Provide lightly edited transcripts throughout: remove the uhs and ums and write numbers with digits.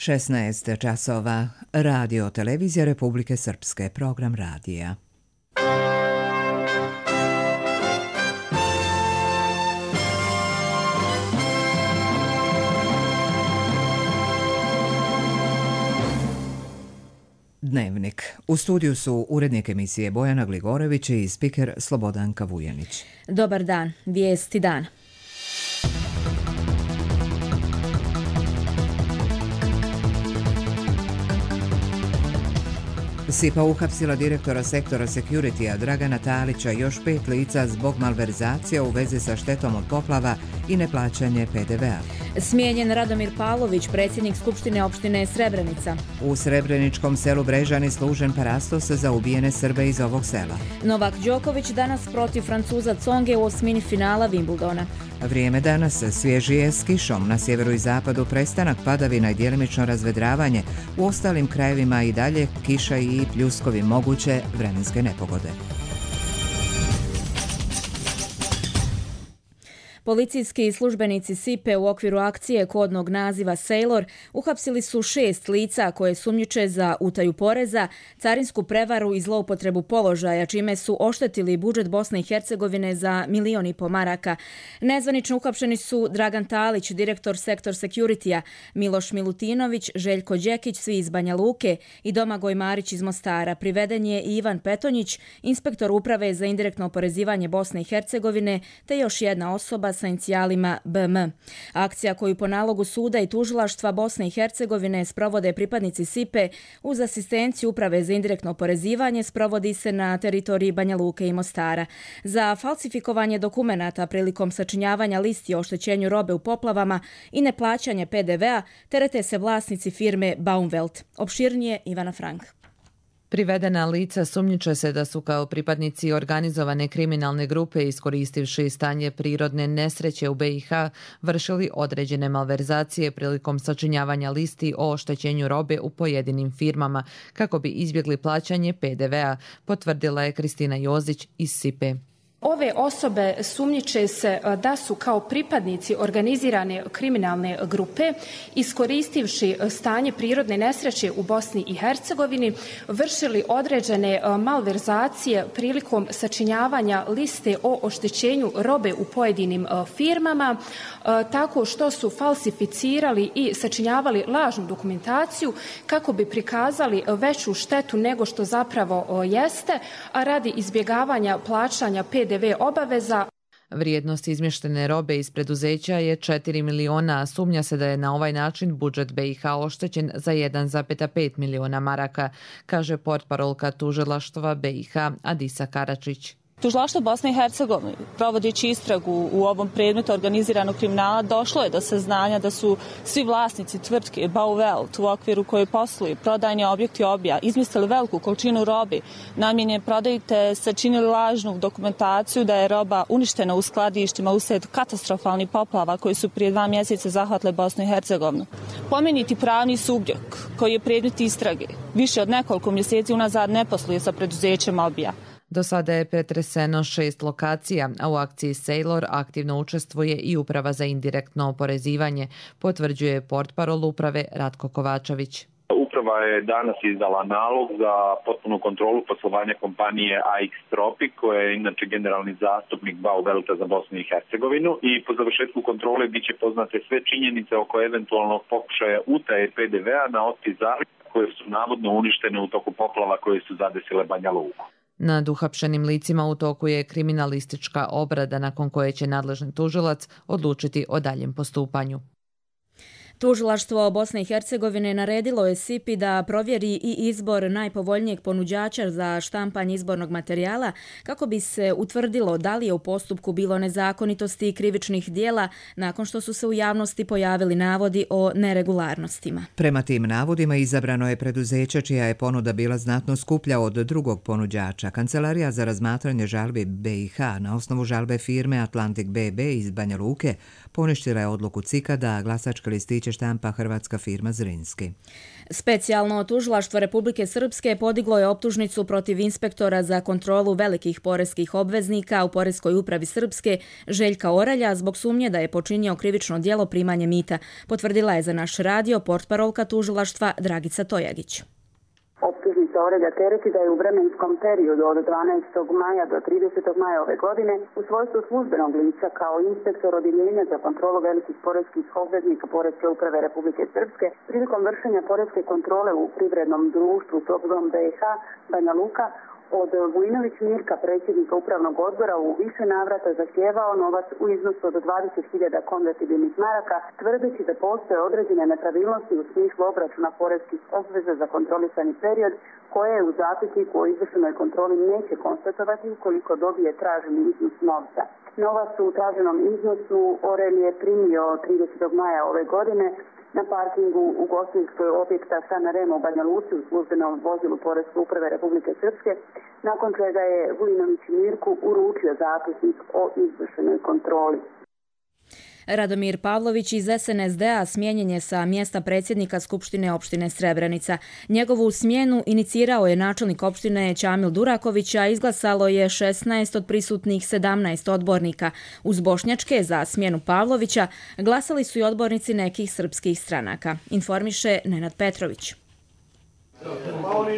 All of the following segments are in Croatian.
16 časova. Radio Televizija Republike Srpske. Program radija. Dnevnik. U studiju su urednik emisije Bojana Gligorević i spiker Slobodanka Vujanić. Dobar dan. Vijesti dana. SIPA uhapsila direktora sektora Security-a Dragana Talića i još 5 lica zbog malverzacija u vezi sa štetom od poplava i neplaćanje PDV-a. Smijenjen Radomir Pavlović, predsjednik Skupštine opštine Srebrenica. U srebreničkom selu Brežani služen parastos za ubijene Srbe iz ovog sela. Novak Đoković danas protiv Francuza Tsonge u osmini finala Wimbledona. Vrijeme danas svježije s kišom, na sjeveru i zapadu prestanak padavina i djelimično razvedravanje, u ostalim krajevima i dalje kiša i pljuskovi, moguće vremenske nepogode. Policijski službenici SIPE u okviru akcije kodnog naziva Sailor uhapsili su 6 lica koje sumnjiče za utaju poreza, carinsku prevaru i zloupotrebu položaja, čime su oštetili budžet Bosne i Hercegovine za 1,5 miliona maraka. Nezvanično uhapšeni su Dragan Talić, direktor sektor Security-a, Miloš Milutinović, Željko Đekić, svi iz Banja Luke, i Domagoj Marić iz Mostara. Priveden je i Ivan Petonjić, inspektor uprave za indirektno oporezivanje Bosne i Hercegovine, te još jedna osoba sa inicijalima BM. Akcija koju po nalogu suda i tužilaštva Bosne i Hercegovine sprovode pripadnici SIPE uz asistenciju uprave za indirektno oporezivanje sprovodi se na teritoriji Banja Luke i Mostara. Za falsifikovanje dokumenata prilikom sačinjavanja listi o oštećenju robe u poplavama i neplaćanje PDV-a terete se vlasnici firme Baumwelt. Opširnije Ivana Frank. Privedena lica sumnjiče se da su kao pripadnici organizovane kriminalne grupe iskoristivši stanje prirodne nesreće u BiH vršili određene malverzacije prilikom sačinjavanja listi o oštećenju robe u pojedinim firmama kako bi izbjegli plaćanje PDV-a, potvrdila je Kristina Jozić iz SIPE. Ove osobe sumnjiče se da su kao pripadnici organizirane kriminalne grupe iskoristivši stanje prirodne nesreće u Bosni i Hercegovini vršili određene malverzacije prilikom sačinjavanja liste o oštećenju robe u pojedinim firmama tako što su falsificirali i sačinjavali lažnu dokumentaciju kako bi prikazali veću štetu nego što zapravo jeste, a radi izbjegavanja plaćanja PDV obaveza. Vrijednost izmještene robe iz preduzeća je 4 miliona, a sumnja se da je na ovaj način budžet BiH oštećen za 1,5 miliona maraka, kaže portparolka tužilaštva BiH Adisa Karačić. Tužilaštvo Bosne i Hercegovine, provodeći istragu u ovom predmetu organiziranog kriminala, došlo je do saznanja da su svi vlasnici tvrtke Baumwelt u okviru koje posluju prodajni objekti Obija izmislili veliku količinu robe namijenjene prodaji te sačinili lažnu dokumentaciju da je roba uništena u skladištima uslijed katastrofalnih poplava koji su prije 2 mjeseca zahvatile Bosnu i Hercegovinu. Pomenuti pravni subjekt koji je predmet istrage više od nekoliko mjeseci unazad ne posluje sa preduzećem Obija. Do sada je pretreseno 6 lokacija, a u akciji Sailor aktivno učestvuje i Uprava za indirektno oporezivanje, potvrđuje portparol uprave Ratko Kovačević. Uprava je danas izdala nalog za potpunu kontrolu poslovanja kompanije AX Tropic, koja je inače generalni zastupnik Baumwelta za Bosnu i Hercegovinu, i po završetku kontrole biće poznate sve činjenice oko eventualnog pokušaja utaje PDV-a na otpis zaliha koje su navodno uništene u toku poplava koje su zadesile Banja Luku. Nad uhapšenim licima u toku je kriminalistička obrada nakon koje će nadležni tužilac odlučiti o daljem postupanju. Tužilaštvo Bosne i Hercegovine naredilo je SIPI da provjeri i izbor najpovoljnijeg ponuđača za štampanje izbornog materijala kako bi se utvrdilo da li je u postupku bilo nezakonitosti i krivičnih dijela nakon što su se u javnosti pojavili navodi o neregularnostima. Prema tim navodima izabrano je preduzeće čija je ponuda bila znatno skuplja od drugog ponuđača. Kancelarija za razmatranje žalbi BiH na osnovu žalbe firme Atlantic BB iz Banja Luke poništila je odluku CIK-a da glasačke listiće izvješće štampa hrvatska firma Zrinski. Specijalno tužilaštvo Republike Srpske podiglo je optužnicu protiv inspektora za kontrolu velikih poreskih obveznika u Poreskoj upravi Srpske Željka Oralja zbog sumnje da je počinio krivično djelo primanje mita, potvrdila je za naš radio portparolka tužilaštva Dragica Tojagić. Optužnica Oralja tereti da je u vremenskom periodu od 12. maja do 30. maja ove godine u svojstvu službenog lica kao inspektor odjeljenja za kontrolu velikih poreskih obveznika Poreske uprave Republike Srpske prilikom vršenja poreske kontrole u privrednom društvu Topzom BiH Banja Luka od Vujinović Mirka, predsjednika upravnog odbora, u više navrata zahtijevao novac u iznosu od 20.000 konvertibilnih maraka, tvrdeći da postoje određene nepravilnosti u smislu obračuna poreskih obveza za kontrolisani period, koje je u zapisniku o izvršenoj kontroli neće konstatovati ukoliko dobije traženi iznos novca. Novac u traženom iznosu Orel je primio 30. maja ove godine na parkingu ugostiteljskog objekta Sana Rema u Banja Luci u službenom vozilu Poreske uprave Republike Srpske, nakon čega je Vujinović Mirku uručio zapisnik o izvršenoj kontroli. Radomir Pavlović iz SNSD-a smijenjen je sa mjesta predsjednika Skupštine opštine Srebrenica. Njegovu smjenu inicirao je načelnik opštine Ćamil Duraković, a izglasalo je 16 od prisutnih 17 odbornika. Uz bošnjačke za smjenu Pavlovića glasali su i odbornici nekih srpskih stranaka, informiše Nenad Petrović.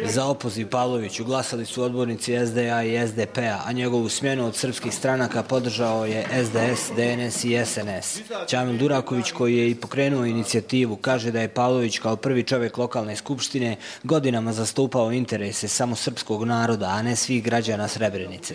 Za opoziv Pavloviću glasali su odbornici SDA i SDP-a, a njegovu smjenu od srpskih stranaka podržao je SDS, DNS i SNS. Ćamil Duraković, koji je i pokrenuo inicijativu, kaže da je Pavlović kao prvi čovjek lokalne skupštine godinama zastupao interese samo srpskog naroda, a ne svih građana Srebrenice.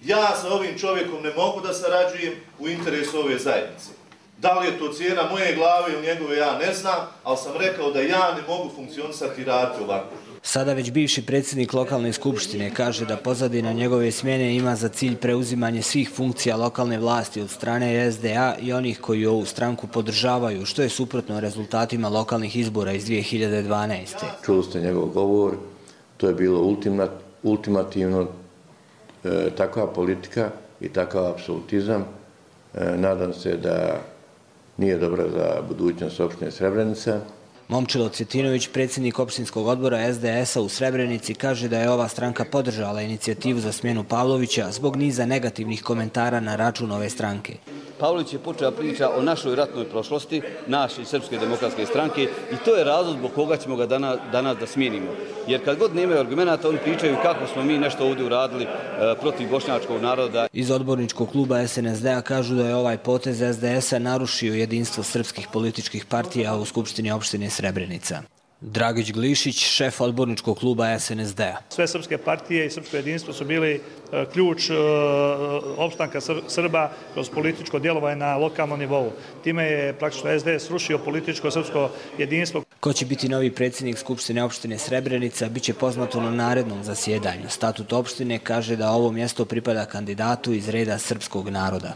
Ja sa ovim čovjekom ne mogu da sarađujem u interesu ove zajednice. Da li je to cijena moje glave ili njegove, ja ne znam, ali sam rekao da ja ne mogu funkcionisati i raditi ovako. Sada već bivši predsjednik lokalne skupštine kaže da pozadina njegove smjene ima za cilj preuzimanje svih funkcija lokalne vlasti od strane SDA i onih koji ovu stranku podržavaju, što je suprotno rezultatima lokalnih izbora iz 2012. Čuli ste njegov govor, to je bilo ultimativno, takva politika i takav apsolutizam. Nadam se da nije dobra za budućnost opštine Srebrenica. Momčilo Cetinović, predsjednik opštinskog odbora SDS-a u Srebrenici, kaže da je ova stranka podržala inicijativu za smjenu Pavlovića zbog niza negativnih komentara na račun ove stranke. Pavlović je počeo priča o našoj ratnoj prošlosti, naše Srpske demokratske stranke, i to je razlog zbog koga ćemo ga danas da smijenimo. Jer kad god nemaju argumenata, oni pričaju kako smo mi nešto ovdje uradili protiv bošnjačkog naroda. Iz odborničkog kluba SNSD-a kažu da je ovaj potez SDS-a narušio jedinstvo srpskih političkih partija u Skupštini opštine Srebrenica. Dragić Glišić, šef odborničkog kluba SNSD-a. Sve srpske partije i srpsko jedinstvo su bili ključ opstanka Srba kroz političko djelovanje na lokalnom nivou. Time je praktično SDS srušio političko srpsko jedinstvo. Ko će biti novi predsjednik Skupštine opštine Srebrenica, bit će poznato na narednom zasjedanju. Statut opštine kaže da ovo mjesto pripada kandidatu iz reda srpskog naroda.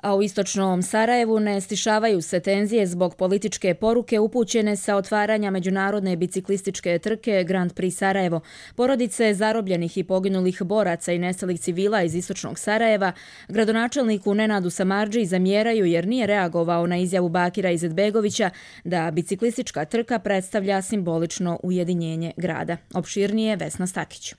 A u istočnom Sarajevu ne stišavaju se tenzije zbog političke poruke upućene sa otvaranja međunarodne biciklističke trke Grand Prix Sarajevo. Porodice zarobljenih i poginulih boraca i nestalih civila iz istočnog Sarajeva gradonačelniku Nenadu Samardži zamjeraju jer nije reagovao na izjavu Bakira Izetbegovića da biciklistička trka predstavlja simbolično ujedinjenje grada. Opširnije Vesna Stakić.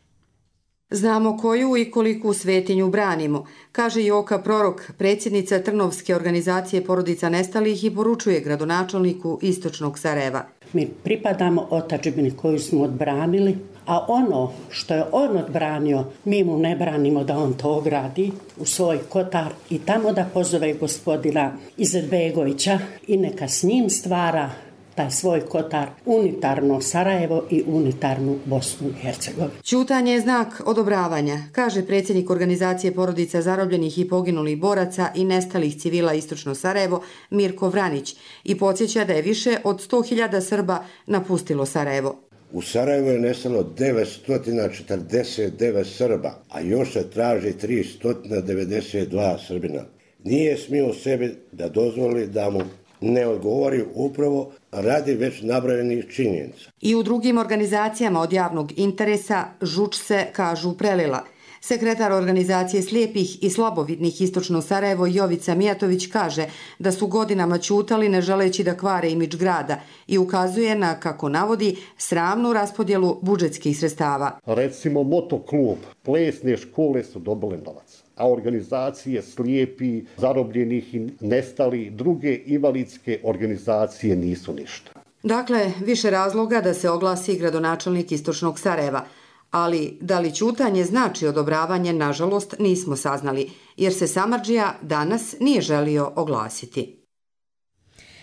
Znamo koju i koliku svetinju branimo, kaže Joka Prorok, predsjednica Trnovske organizacije porodica nestalih, i poručuje gradonačelniku istočnog Sarajeva. Mi pripadamo otadžbini koju smo odbranili, a ono što je on odbranio, mi mu ne branimo da on to ogradi u svoj kotar i tamo da pozove gospodina Izetbegovića i neka s njim stvara taj svoj kotar, unitarno Sarajevo i unitarnu Bosnu i Hercegovinu. Ćutanje je znak odobravanja, kaže predsjednik organizacije porodica zarobljenih i poginulih boraca i nestalih civila istočno Sarajevo Mirko Vranić i podsjeća da je više od 100.000 Srba napustilo Sarajevo. U Sarajevu je nestalo 949 Srba, a još se traži 392 Srbina. Nije smio sebi da dozvoli da mu ne odgovori upravo radi već nabrojenih činjenica. I u drugim organizacijama od javnog interesa žuč se, kažu, prelila. Sekretar organizacije slijepih i slabovidnih Istočno Sarajevo Jovica Mijatović kaže da su godinama ćutali ne želeći da kvare imidž grada i ukazuje na, kako navodi, sramnu raspodjelu budžetskih sredstava. Recimo motoklub, plesne škole su dobile novac, a organizacije slijepi, zarobljenih i nestali, druge invalidske organizacije nisu ništa. Dakle, više razloga da se oglasi gradonačelnik Istočnog Sarajeva, ali da li ćutanje znači odobravanje, nažalost, nismo saznali, jer se samardžija danas nije želio oglasiti.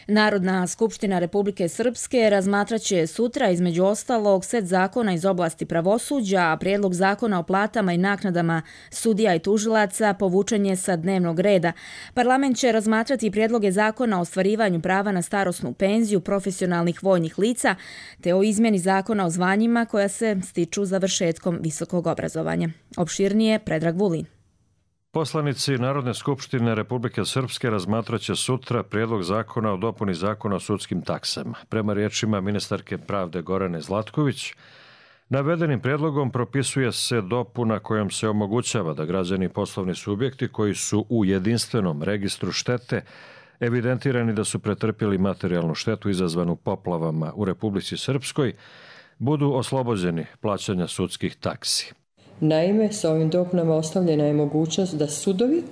Narodna skupština Republike Srpske razmatraće sutra između ostalog set zakona iz oblasti pravosuđa, a prijedlog zakona o platama i naknadama sudija i tužilaca povučen je sa dnevnog reda. Parlament će razmatrati prijedloge zakona o ostvarivanju prava na starosnu penziju profesionalnih vojnih lica, te o izmjeni zakona o zvanjima koja se stiču završetkom visokog obrazovanja. Opširnije Predrag Vulin. Poslanici Narodne skupštine Republike Srpske razmatraće sutra prijedlog zakona o dopuni zakona o sudskim taksama. Prema riječima ministarke pravde Gorane Zlatković, navedenim prijedlogom propisuje se dopuna kojom se omogućava da građani i poslovni subjekti koji su u jedinstvenom registru štete evidentirani da su pretrpjeli materijalnu štetu izazvanu poplavama u Republici Srpskoj budu oslobođeni plaćanja sudskih taksi. Naime, sa ovim dopunama ostavljena je mogućnost da sudovi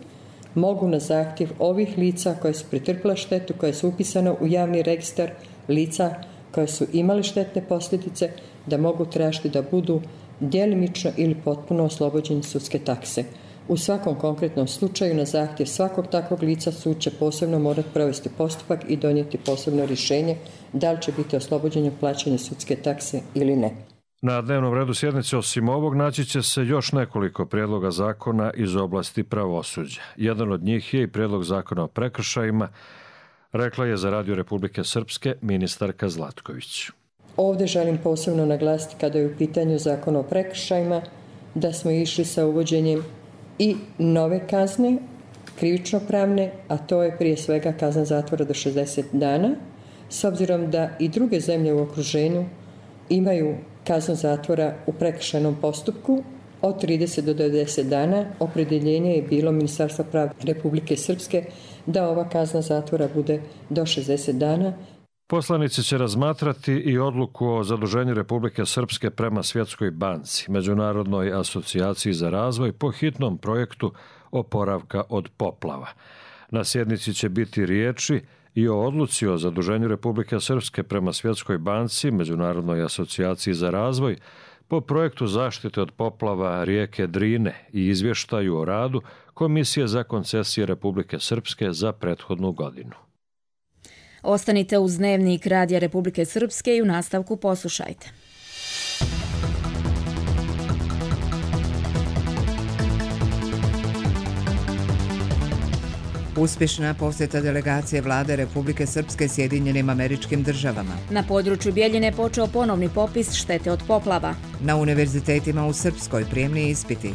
mogu na zahtjev ovih lica koje su pretrpjela štetu, koje su upisane u javni registar lica koje su imali štetne posljedice, da mogu tražiti da budu djelimično ili potpuno oslobođeni sudske takse. U svakom konkretnom slučaju na zahtjev svakog takvog lica sud će posebno morati provesti postupak i donijeti posebno rješenje da li će biti oslobođenje plaćanja sudske takse ili ne. Na dnevnom redu sjednice osim ovog naći će se još nekoliko prijedloga zakona iz oblasti pravosuđa. Jedan od njih je i prijedlog zakona o prekršajima, rekla je za Radio Republike Srpske ministarka Zlatković. Ovdje želim posebno naglasiti kada je u pitanju zakon o prekršajima da smo išli sa uvođenjem i nove kazne, krivično-pravne, a to je prije svega kazna zatvora do 60 dana, s obzirom da i druge zemlje u okruženju imaju kaznu zatvora u prekršajnom postupku od 30 do 90 dana. Opredjeljenje je bilo Ministarstva pravde Republike Srpske da ova kazna zatvora bude do 60 dana. Poslanici će razmatrati i odluku o zaduženju Republike Srpske prema Svjetskoj banci, Međunarodnoj asocijaciji za razvoj po hitnom projektu oporavka od poplava. Na sjednici će biti riječi i o odluci o zaduženju Republike Srpske prema Svjetskoj banci, Međunarodnoj asocijaciji za razvoj, po projektu zaštite od poplava rijeke Drine i izvještaju o radu Komisije za koncesije Republike Srpske za prethodnu godinu. Ostanite uz dnevnik Radija Republike Srpske i u nastavku poslušajte. Uspješna posjeta delegacije vlade Republike Srpske Sjedinjenim Američkim Državama. Na području Bjeljine počeo ponovni popis štete od poplava. Na univerzitetima u Srpskoj prijemni ispiti.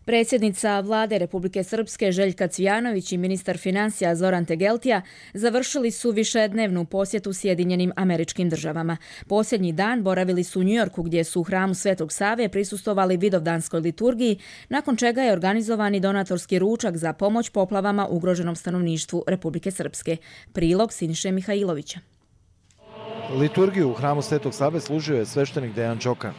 Predsjednica vlade Republike Srpske Željka Cvijanović i ministar financija Zoran Tegeltija završili su višednevnu posjetu Sjedinjenim Američkim Državama. Posljednji dan boravili su u Njujorku gdje su u hramu Svetog Save prisustvovali vidovdanskoj liturgiji, nakon čega je organizovani donatorski ručak za pomoć poplavama ugroženom stanovništvu Republike Srpske. Prilog Siniše Mihajlovića. Liturgiju u hramu Svetog Save služio je sveštenik Dejan Čoka.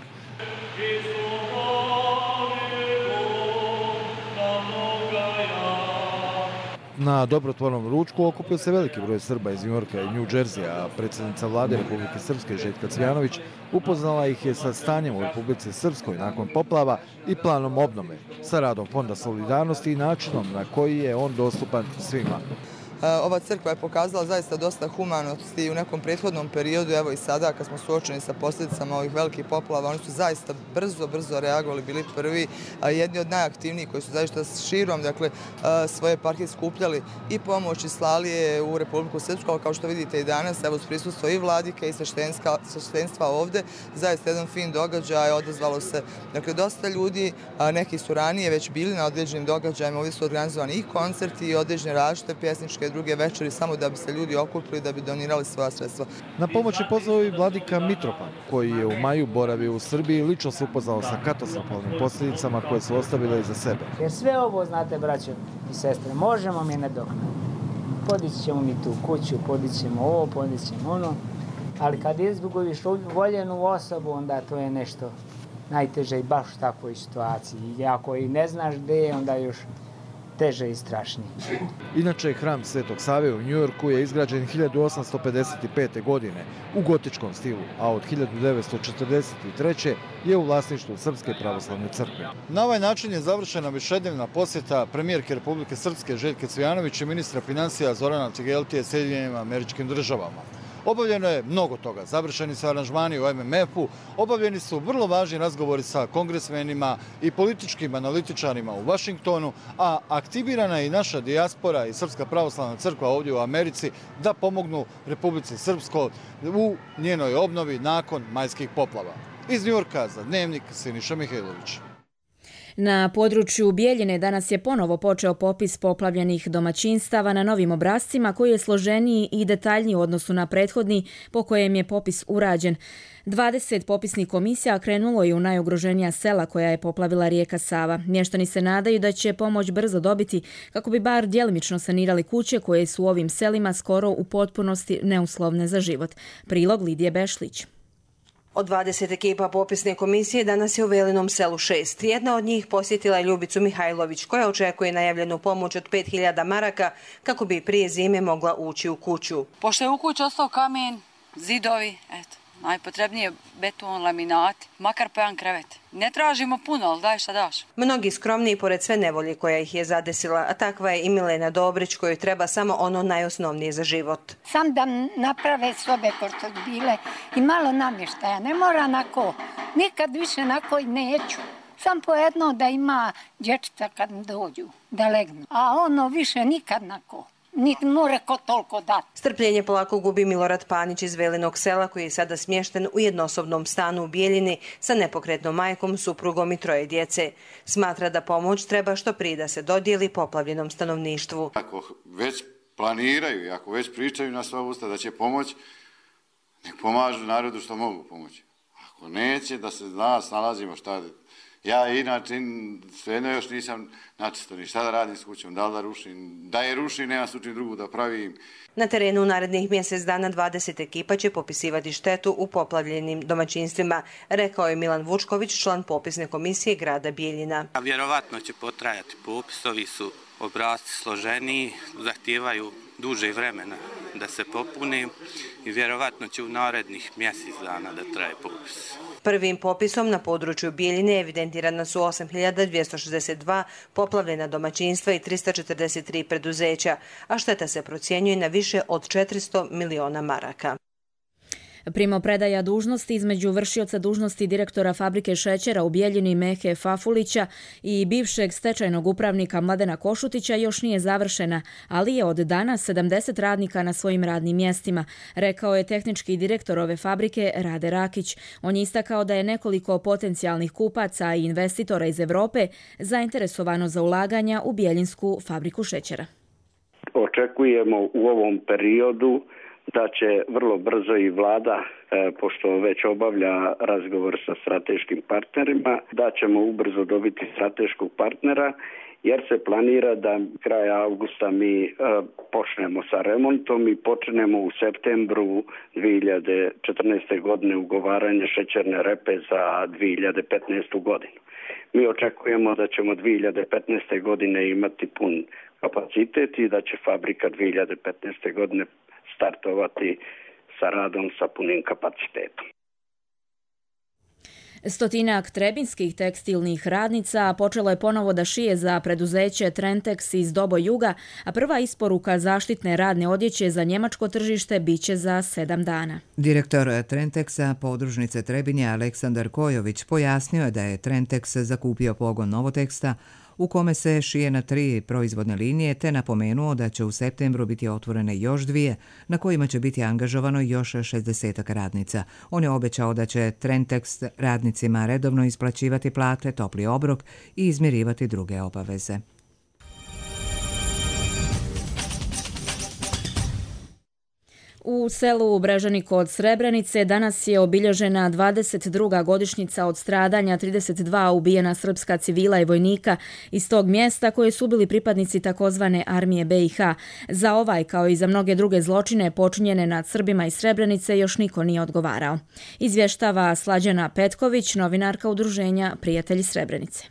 Na dobrotvornom ručku okupio se veliki broj Srba iz Njujorka i New Jersey, a predsjednica vlade Republike Srpske Željka Cvijanović upoznala ih je sa stanjem u Republici Srpskoj nakon poplava i planom obnove, sa radom Fonda solidarnosti i načinom na koji je on dostupan svima. Ova crkva je pokazala zaista dosta humanosti u nekom prethodnom periodu, evo i sada kad smo suočeni sa posljedicama ovih velikih poplava, oni su zaista brzo reagovali, bili prvi, jedni od najaktivnijih koji su zaista širom svoje eparhije skupljali i pomoć i slali je u Republiku Srpsku, ali kao što vidite i danas, evo s prisustvo i vladike i sveštenstva ovde, zaista jedan fin događaj, odazvalo se dosta ljudi, neki su ranije već bili na određenim događajima, ovdje su organizovani i koncerti i određene različite pjesničke neke druge večeri samo da bi se ljudi okupili, da bi donirali svoja sredstva. Na pomoć je pozvao i vladika Mitropan, koji je u maju boravio u Srbiji i lično se upoznao sa katastrofalnim posljedicama koje su ostavile iza sebe. Jer sve ovo, znate, braćo i sestre, možemo mi nadoknaditi. Podići ćemo mi tu kuću, podići ćemo ovo, podići ćemo ono, ali kad izgubiš voljenu osobu, onda to je nešto najteže i baš u takvoj situaciji. I ako i ne znaš gdje je, onda još teže i strašnije. Inače, hram Svetog Save u Njujorku je izgrađen 1855. godine u gotičkom stilu, a od 1943. je u vlasništvu Srpske pravoslavne crkve. Na ovaj način je završena višednevna posjeta premijerke Republike Srpske Željke Cvijanović i ministra financija Zorana Cigeltije Sjedinjenim Američkim Državama. Obavljeno je mnogo toga. Završeni su aranžmani u MMF-u, obavljeni su vrlo važni razgovori sa kongresmenima i političkim analitičarima u Vašingtonu, a aktivirana je i naša dijaspora i Srpska pravoslavna crkva ovdje u Americi da pomognu Republici Srpskoj u njenoj obnovi nakon majskih poplava. Iz Njujorka za Dnevnik Siniša Mihajlović. Na području Bijeljine danas je ponovo počeo popis poplavljenih domaćinstava na novim obrascima koji je složeniji i detaljniji u odnosu na prethodni po kojem je popis urađen. 20 popisnih komisija krenulo je u najugroženija sela koja je poplavila rijeka Sava. Mještani se nadaju da će pomoć brzo dobiti kako bi bar djelimično sanirali kuće koje su u ovim selima skoro u potpunosti neuslovne za život. Prilog Lidije Bešlić. Od 20 ekipa popisne komisije danas je u Velinom selu 6. Jedna od njih posjetila je Ljubicu Mihajlović, koja očekuje najavljenu pomoć od 5000 maraka kako bi prije zime mogla ući u kuću. Pošto je u kući ostao kamen, zidovi, eto, najpotrebnije beton, laminati, makar po jedan krevet. Ne tražimo puno, ali daj šta daš. Mnogi skromniji pored sve nevolje koja ih je zadesila, a takva je i Milena Dobrić kojoj treba samo ono najosnovnije za život. Sam da naprave sobe ko što bile i malo namještaja, ne mora nako, nikad više nako i neću. Sam po jedno da ima dječca kad dođu, da legnu, a ono više nikad nako. Niti more ko toliko dati. Strpljenje polako gubi Milorad Panić iz Velinog sela koji je sada smješten u jednosobnom stanu u Bijeljini sa nepokretnom majkom, suprugom i 3 djece. Smatra da pomoć treba što prije da se dodijeli poplavljenom stanovništvu. Ako već planiraju i ako već pričaju na sva usta da će pomoć, nek pomažu narodu što mogu pomoći. Ako neće, da se snalazimo šta. Ja inače svejedno još nisam načisto ni šta da radim s kućom, da li da rušim, da je rušim, nema slučaju drugu da pravim. Na terenu u narednih mjesec dana 20 ekipa će popisivati štetu u poplavljenim domaćinstvima, rekao je Milan Vučković, član popisne komisije grada Bijeljina. Vjerovatno će potrajati popis, ovi su obrasci složeniji, zahtijevaju duže vremena da se popuni i vjerovatno će u narednih mjesec dana da traje popis. Prvim popisom na području Bijeljine evidentirana su 8262 poplavljena domaćinstva i 343 preduzeća, a šteta se procjenjuje na više od 400 miliona maraka. Primopredaja dužnosti između vršioca dužnosti direktora fabrike šećera u Bijeljini Mehe Fafulića i bivšeg stečajnog upravnika Mladena Košutića još nije završena, ali je od danas 70 radnika na svojim radnim mjestima, rekao je tehnički direktor ove fabrike Rade Rakić. On je istakao da je nekoliko potencijalnih kupaca i investitora iz Evrope zainteresovano za ulaganja u Bijeljinsku fabriku šećera. Očekujemo u ovom periodu da će vrlo brzo i vlada, pošto već obavlja razgovor sa strateškim partnerima, da ćemo ubrzo dobiti strateškog partnera, jer se planira da kraja avgusta mi počnemo sa remontom i počnemo u septembru 2014. godine ugovaranje šećerne repe za 2015. godinu. Mi očekujemo da ćemo 2015. godine imati pun kapacitet i da će fabrika 2015. godine startovati sa radom sa punim kapacitetom. Stotinak trebinskih tekstilnih radnica počelo je ponovo da šije za preduzeće Trentex iz Dobo Juga, a prva isporuka zaštitne radne odjeće za njemačko tržište biće za 7 dana. Direktor Trentexa podružnice Trebinje Aleksandar Kojović pojasnio je da je Trentex zakupio pogon Novoteksta u kome se šije na 3 proizvodne linije, te napomenuo da će u septembru biti otvorene još 2, na kojima će biti angažovano još 60 radnica. On je obećao da će Trentex radnicima redovno isplaćivati plate, topli obrok i izmirivati druge obaveze. U selu Brežani kod Srebrenice danas je obilježena 22. godišnjica od stradanja 32 ubijena srpska civila i vojnika iz tog mjesta koje su bili pripadnici takozvane armije BiH. Za ovaj, kao i za mnoge druge zločine počinjene nad Srbima iz Srebrenice, još niko nije odgovarao. Izvještava Slađana Petković, novinarka udruženja Prijatelji Srebrenice.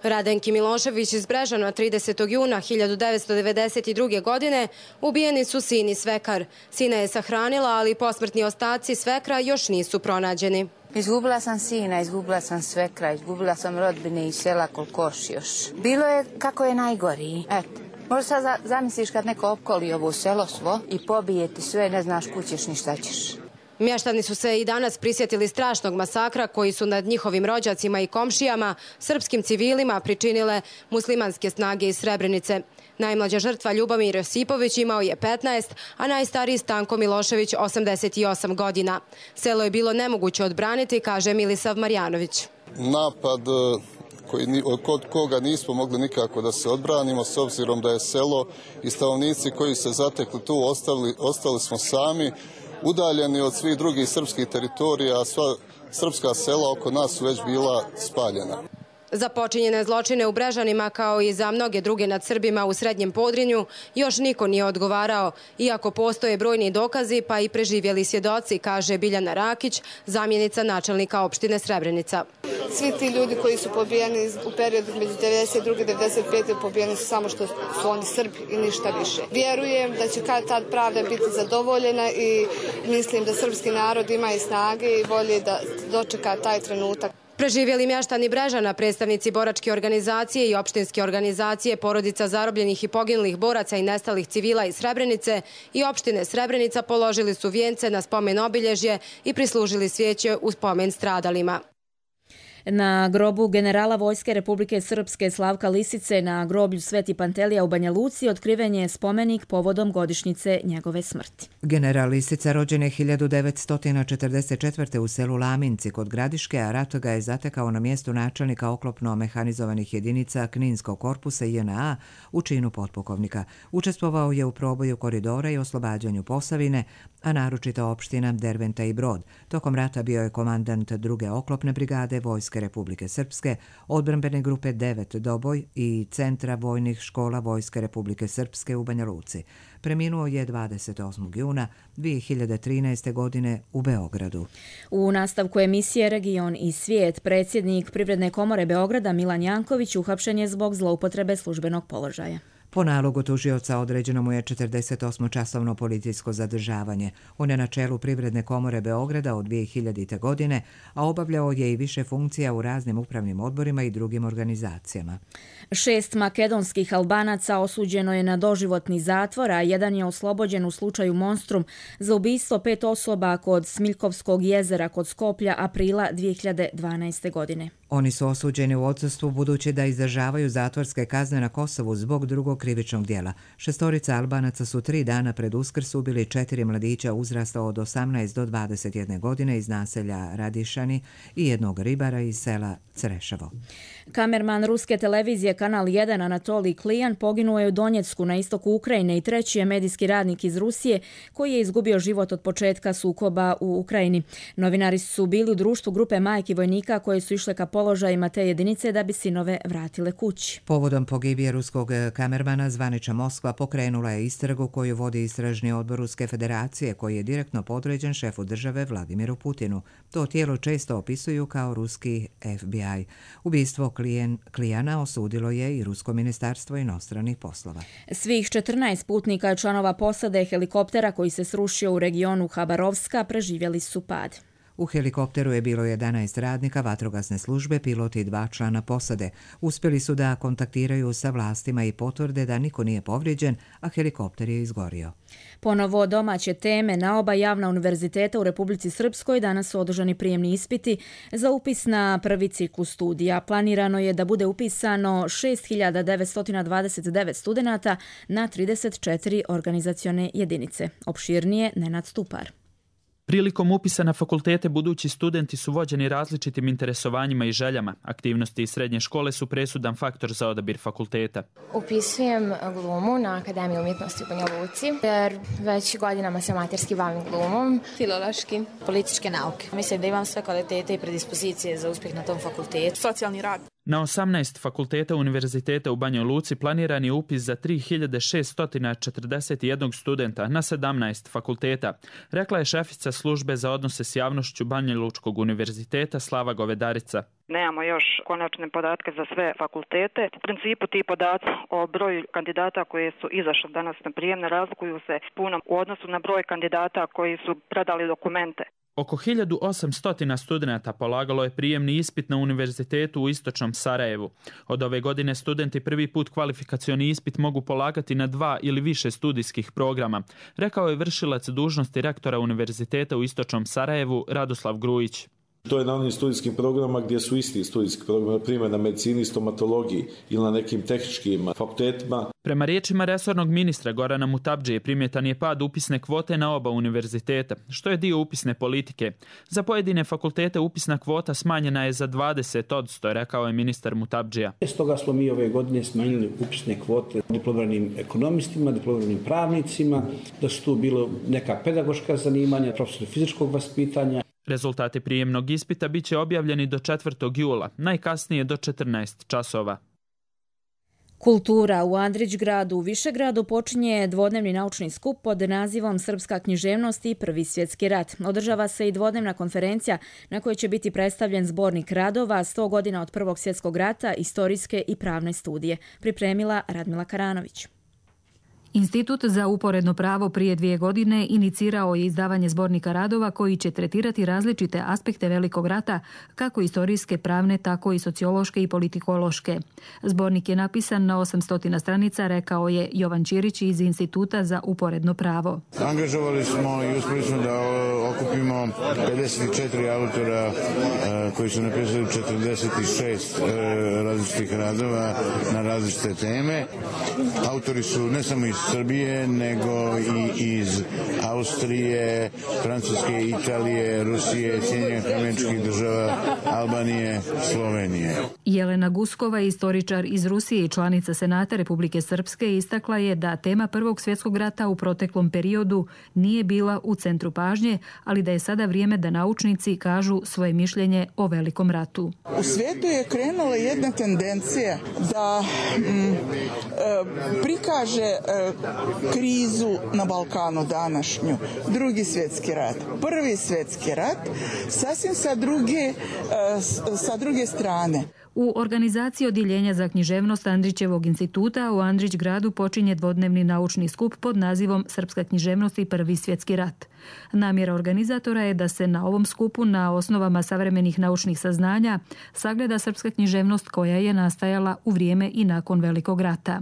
Radenki Milošević iz Brežana 30. juna 1992. godine ubijeni su sin i svekar. Sina je sahranila, ali posmrtni ostaci svekra još nisu pronađeni. Izgubila sam sina, izgubila sam svekra, izgubila sam rodbine iz sela Kolkoš još. Bilo je kako je najgoriji. Eto. Možda sad zamisliš kad neko opkoli ovo selo svo i pobije ti sve, ne znaš kućeš ni šta ćeš. Mještani su se i danas prisjetili strašnog masakra koji su nad njihovim rođacima i komšijama, srpskim civilima, pričinile muslimanske snage iz Srebrenice. Najmlađa žrtva Ljubomir Josipović imao je 15, a najstariji Stanko Milošević 88 godina. Selo je bilo nemoguće odbraniti, kaže Milisav Marjanović. Napad kod koga nismo mogli nikako da se odbranimo, s obzirom da je selo i stanovnici koji se zatekli tu ostali smo sami, udaljeni od svih drugih srpskih teritorija, a sva srpska sela oko nas su već bila spaljena. Za počinjene zločine u Brežanima, kao i za mnoge druge nad Srbima u Srednjem Podrinju, još niko nije odgovarao, iako postoje brojni dokazi pa i preživjeli svjedoci, kaže Biljana Rakić, zamjenica načelnika opštine Srebrenica. Svi ti ljudi koji su pobijeni u periodu među 92. i 95. pobijeni su samo što su oni Srbi i ništa više. Vjerujem da će kad tad pravda biti zadovoljena i mislim da srpski narod ima i snage i volje da dočeka taj trenutak. Preživjeli mještani Brežana, predstavnici boračke organizacije i opštinske organizacije porodica zarobljenih i poginulih boraca i nestalih civila iz Srebrenice i opštine Srebrenica položili su vijence na spomen obilježje i prislužili svijeće u spomen stradalima. Na grobu generala Vojske Republike Srpske Slavka Lisice na groblju Sveti Pantelija u Banja Luci otkriven je spomenik povodom godišnjice njegove smrti. General Lisica rođen je 1944. u selu Laminci kod Gradiške, a rat ga je zatekao na mjestu načelnika oklopno-mehanizovanih jedinica Kninskog korpusa JNA u činu potpukovnika. Učestvovao je u proboju koridora i oslobađanju Posavine, a naročito opština Derventa i Brod. Tokom rata bio je komandant druge oklopne brigade Vojske Republike Srpske, odbrambene grupe 9 Doboj i Centra vojnih škola Vojske Republike Srpske u Banja Luci. Preminuo je 28. juna 2013. godine u Beogradu. U nastavku emisije Region i svijet, predsjednik Privredne komore Beograda Milan Janković uhapšen je zbog zloupotrebe službenog položaja. Po nalogu tužioca određeno mu je 48-časovno policijsko zadržavanje. On je na čelu Privredne komore Beograda od 2000. godine, a obavljao je i više funkcija u raznim upravnim odborima i drugim organizacijama. 6 makedonskih Albanaca osuđeno je na doživotni zatvor, a jedan je oslobođen u slučaju Monstrum za ubistvo 5 osoba kod Smiljkovskog jezera kod Skoplja aprila 2012. godine. Oni su osuđeni u odsustvu budući da izdržavaju zatvorske kazne na Kosovu zbog drugog krivičnog djela. 6 Albanaca su 3 dana pred Uskrs ubili 4 mladića uzrasta od 18 do 21 godine iz naselja Radišani i jednog ribara iz sela Creševo. Kamerman ruske televizije Kanal 1 Anatolij Klijan poginuo je u Donjecku na istoku Ukrajine i treći je medijski radnik iz Rusije koji je izgubio život od početka sukoba u Ukrajini. Novinari su bili u društvu grupe majki vojnika koje su išle ka položajima te jedinice da bi sinove vratile kući. Povodom pogibije ruskog kamermana zvanična Moskva pokrenula je istragu koju vodi istražni odbor Ruske federacije koji je direktno podređen šefu države Vladimiru Putinu. To tijelo često opisuju kao ruski FBI. Ubistvo Klijana osudilo je i Rusko ministarstvo inostranih poslova. Svih 14 putnika i članova posade helikoptera koji se srušio u regionu Habarovska preživjeli su pad. U helikopteru je bilo 11 radnika vatrogasne službe, pilot i 2 člana posade. Uspjeli su da kontaktiraju sa vlastima i potvrde da niko nije povrijeđen, a helikopter je izgorio. Ponovo domaće teme. Na oba javna univerziteta u Republici Srpskoj danas su održani prijemni ispiti za upis na prvi ciklus studija. Planirano je da bude upisano 6.929 studenata na 34 organizacione jedinice. Opširnije Nenad Stupar. Prilikom upisa na fakultete budući studenti su vođeni različitim interesovanjima i željama. Aktivnosti iz srednje škole su presudan faktor za odabir fakulteta. Upisujem glumu na Akademiju umjetnosti u Banja Luci, jer već godinama se amaterski bavim glumom. Filološki, političke nauke. Mislim da imam sve kvalitete i predispozicije za uspjeh na tom fakultetu. Socijalni rad. Na 18 fakulteta univerziteta u Banjoj Luci planiran je upis za 3641 studenta na 17 fakulteta, rekla je šefica službe za odnose s javnošću Banjalučkog univerziteta Slava Govedarica. Nemamo još konačne podatke za sve fakultete. U principu ti podaci o broju kandidata koji su izašli danas na prijem ne razlikuju se puno u odnosu na broj kandidata koji su predali dokumente. Oko 1800 studenata polagalo je prijemni ispit na univerzitetu u istočnom Sarajevu. Od ove godine studenti prvi put kvalifikacioni ispit mogu polagati na 2 ili više studijskih programa, rekao je vršilac dužnosti rektora univerziteta u istočnom Sarajevu Radoslav Grujić. To je na onim studijskim programa gdje su isti studijski programi, na primjer na medicini, stomatologiji ili na nekim tehničkim fakultetima. Prema riječima resornog ministra Gorana Mutabdžije primjetan je pad upisne kvote na oba univerziteta, što je dio upisne politike. Za pojedine fakultete upisna kvota smanjena je za 20%, rekao je ministar Mutabdžija. Stoga smo mi ove godine smanjili upisne kvote diplomiranim ekonomistima, diplomiranim pravnicima, da su tu bilo neka pedagoška zanimanja, profesori fizičkog vaspitanja. Rezultati prijemnog ispita bit će objavljeni do 4. jula, najkasnije do 14 časova. Kultura u Andrićgradu u Višegradu počinje dvodnevni naučni skup pod nazivom Srpska književnost i Prvi svjetski rat. Održava se i dvodnevna konferencija na kojoj će biti predstavljen zbornik radova 100 godina od Prvog svjetskog rata, istorijske i pravne studije. Pripremila Radmila Karanović. Institut za uporedno pravo prije 2 godine inicirao je izdavanje zbornika radova koji će tretirati različite aspekte Velikog rata, kako istorijske, pravne, tako i sociološke i politikološke. Zbornik je napisan na 800 stranica, rekao je Jovan Ćirić iz Instituta za uporedno pravo. Angažovali smo i uspjeli smo da okupimo 54 autora koji su napisali 46 različitih radova na različite teme. Autori su ne samo iz Srbije, nego i iz Austrije, Francuske, Italije, Rusije, Sjedinjenih Američkih Država, Albanije, Slovenije. Jelena Guskova, istoričar iz Rusije i članica Senata Republike Srpske, istakla je da tema Prvog svjetskog rata u proteklom periodu nije bila u centru pažnje, ali da je sada vrijeme da naučnici kažu svoje mišljenje o Velikom ratu. U svijetu je krenula jedna tendencija da prikaže krizu na Balkanu današnju, Drugi svjetski rat, Prvi svjetski rat, sasvim sa druge strane. U organizaciji Odjeljenja za književnost Andrićevog instituta u Andrićgradu počinje dvodnevni naučni skup pod nazivom Srpska književnost i Prvi svjetski rat. Namjera organizatora je da se na ovom skupu na osnovama savremenih naučnih saznanja sagleda srpska književnost koja je nastajala u vrijeme i nakon Velikog rata.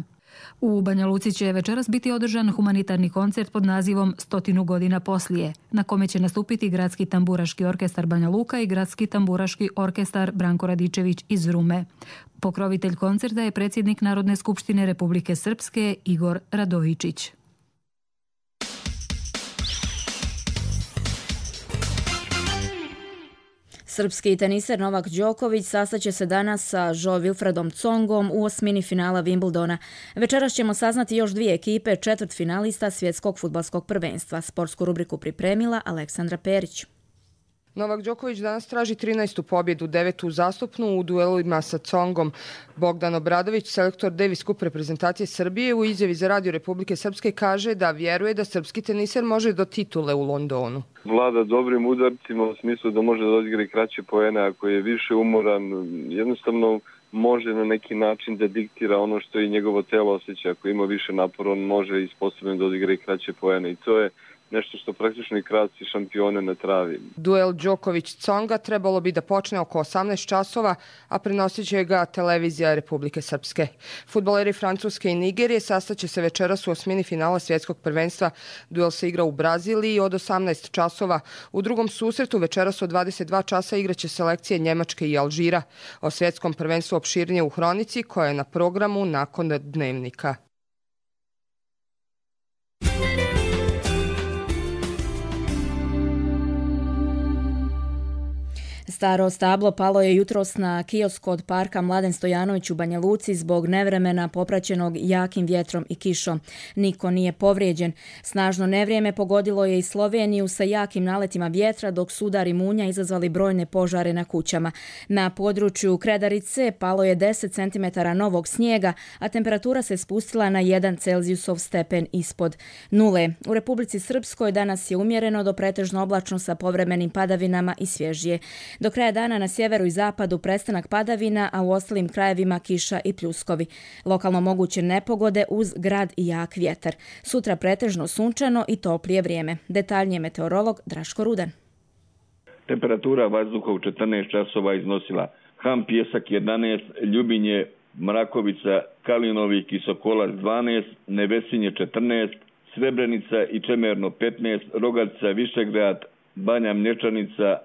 U Banja Luci će večeras biti održan humanitarni koncert pod nazivom 100 godina poslije, na kome će nastupiti Gradski tamburaški orkestar Banja Luka i Gradski tamburaški orkestar Branko Radičević iz Rume. Pokrovitelj koncerta je predsjednik Narodne skupštine Republike Srpske Igor Radojičić. Srpski teniser Novak Đoković sastaće se danas sa Jo Wilfredom Tsongom u osmini finala Wimbledona. Večeras ćemo saznati još 2 ekipe četvrtfinalista svjetskog fudbalskog prvenstva. Sportsku rubriku pripremila Aleksandra Perić. Novak Đoković danas traži 13. pobjedu, 9. uzastopnu u duelima sa Tsongom. Bogdan Obradović, selektor Davis Cup reprezentacije Srbije, u izjavi za Radio Republike Srpske kaže da vjeruje da srpski teniser može do titule u Londonu. Vlada dobrim udarcima u smislu da može da odigra i kraće poene, ako je više umoran, jednostavno može na neki način da diktira ono što i njegovo telo osjeća. Ako ima više napora, on može i sposoben da odigra i kraće poene i to je nešto što praktično i kratci šampione ne travi. Duel Đoković-Tsonga trebalo bi da počne oko 18 časova, a prenosit će ga televizija Republike Srpske. Fudbaleri Francuske i Nigerije sastaće se večeras u osmini finala svjetskog prvenstva. Duel se igra u Braziliji od 18 časova. U drugom susretu večeras od 22 časa igraće selekcije Njemačke i Alžira. O svjetskom prvenstvu opširnije u Hronici, koja je na programu nakon dnevnika. Staro stablo palo je jutros na kiosk kod parka Mladen Stojanović u Banja Luci zbog nevremena popraćenog jakim vjetrom i kišom. Niko nije povrijeđen. Snažno nevrijeme pogodilo je i Sloveniju sa jakim naletima vjetra, dok su udari munja izazvali brojne požare na kućama. Na području Kredarice palo je 10 cm novog snijega, a temperatura se spustila na 1 Celzijusov stepen ispod nule. U Republici Srpskoj danas je umjereno do pretežno oblačno sa povremenim padavinama i svježije. Do kraja dana na sjeveru i zapadu prestanak padavina, a u ostalim krajevima kiša i pljuskovi. Lokalno moguće nepogode uz grad i jak vjetar. Sutra pretežno sunčano i toplije vrijeme. Detaljnije meteorolog Draško Rudan. Temperatura vazduha u 14 časova iznosila Ham Pjesak 11, Ljubinje, Mrakovica, Kalinovik i Sokolac 12, Nevesinje 14, Srebrenica i Čemerno 15, Rogatica, Višegrad, Banja Mlječanica,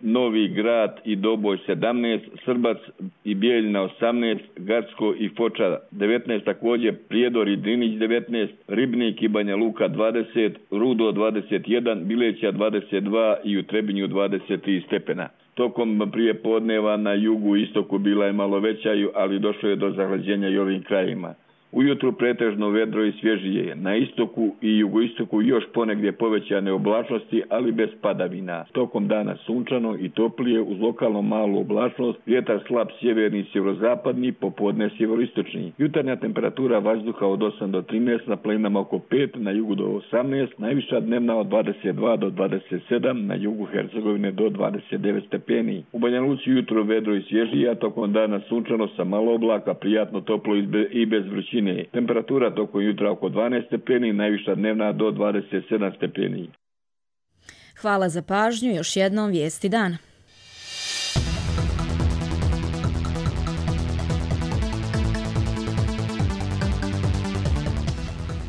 Novi Grad i Doboj 17, Srbac i Bijeljina 18, Gacko i Foča 19, također Prijedor i Drinić 19, Ribnik i Banja Luka 20, Rudo 21, Bileća 22 i u Trebinju 23 stepena. Tokom prije podneva na jugu i istoku bila je malo veća, ali došlo je do zahlađenja i ovim krajima. Ujutru pretežno vedro i svježije. Na istoku i jugoistoku još ponegdje povećane oblačnosti, ali bez padavina. Tokom dana sunčano i toplije uz lokalno malu oblačnost, vjetar slab sjeverni i sjeverozapadni, popodne sjeveroistočni. Jutarnja temperatura vazduha od 8 do 13, na planinama oko 5, na jugu do 18, najviša dnevna od 22 do 27, na jugu Hercegovine do 29 stepeni. U Banja Luci jutro vedro i svježije, a tokom dana sunčano sa malo oblaka, prijatno toplo i bez vrućine. Temperatura tokom jutra oko 12 stepeni, najviša dnevna do 27 stepeni. Hvala za pažnju, još jednom vijesti dana.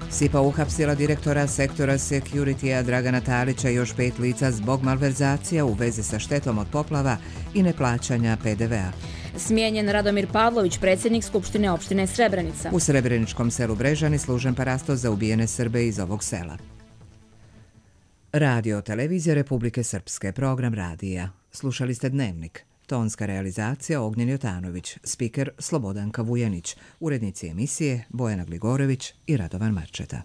SIPA uhapsila direktora sektora Security-a Dragana Talića i još 5 lica zbog malverzacija u vezi sa štetom od poplava i neplaćanja PDV-a. Smijenjen Radomir Pavlović, predsjednik Skupštine opštine Srebrenica. U srebreničkom selu Brežani služen parasto za ubijene Srbe iz ovog sela. Radio televizija Republike Srpske, program radija. Slušali ste Dnevnik. Tonska realizacija Ognjen Jotanović, spiker Slobodanka Vujanić, urednici emisije Bojana Gligorović i Radovan Marčeta.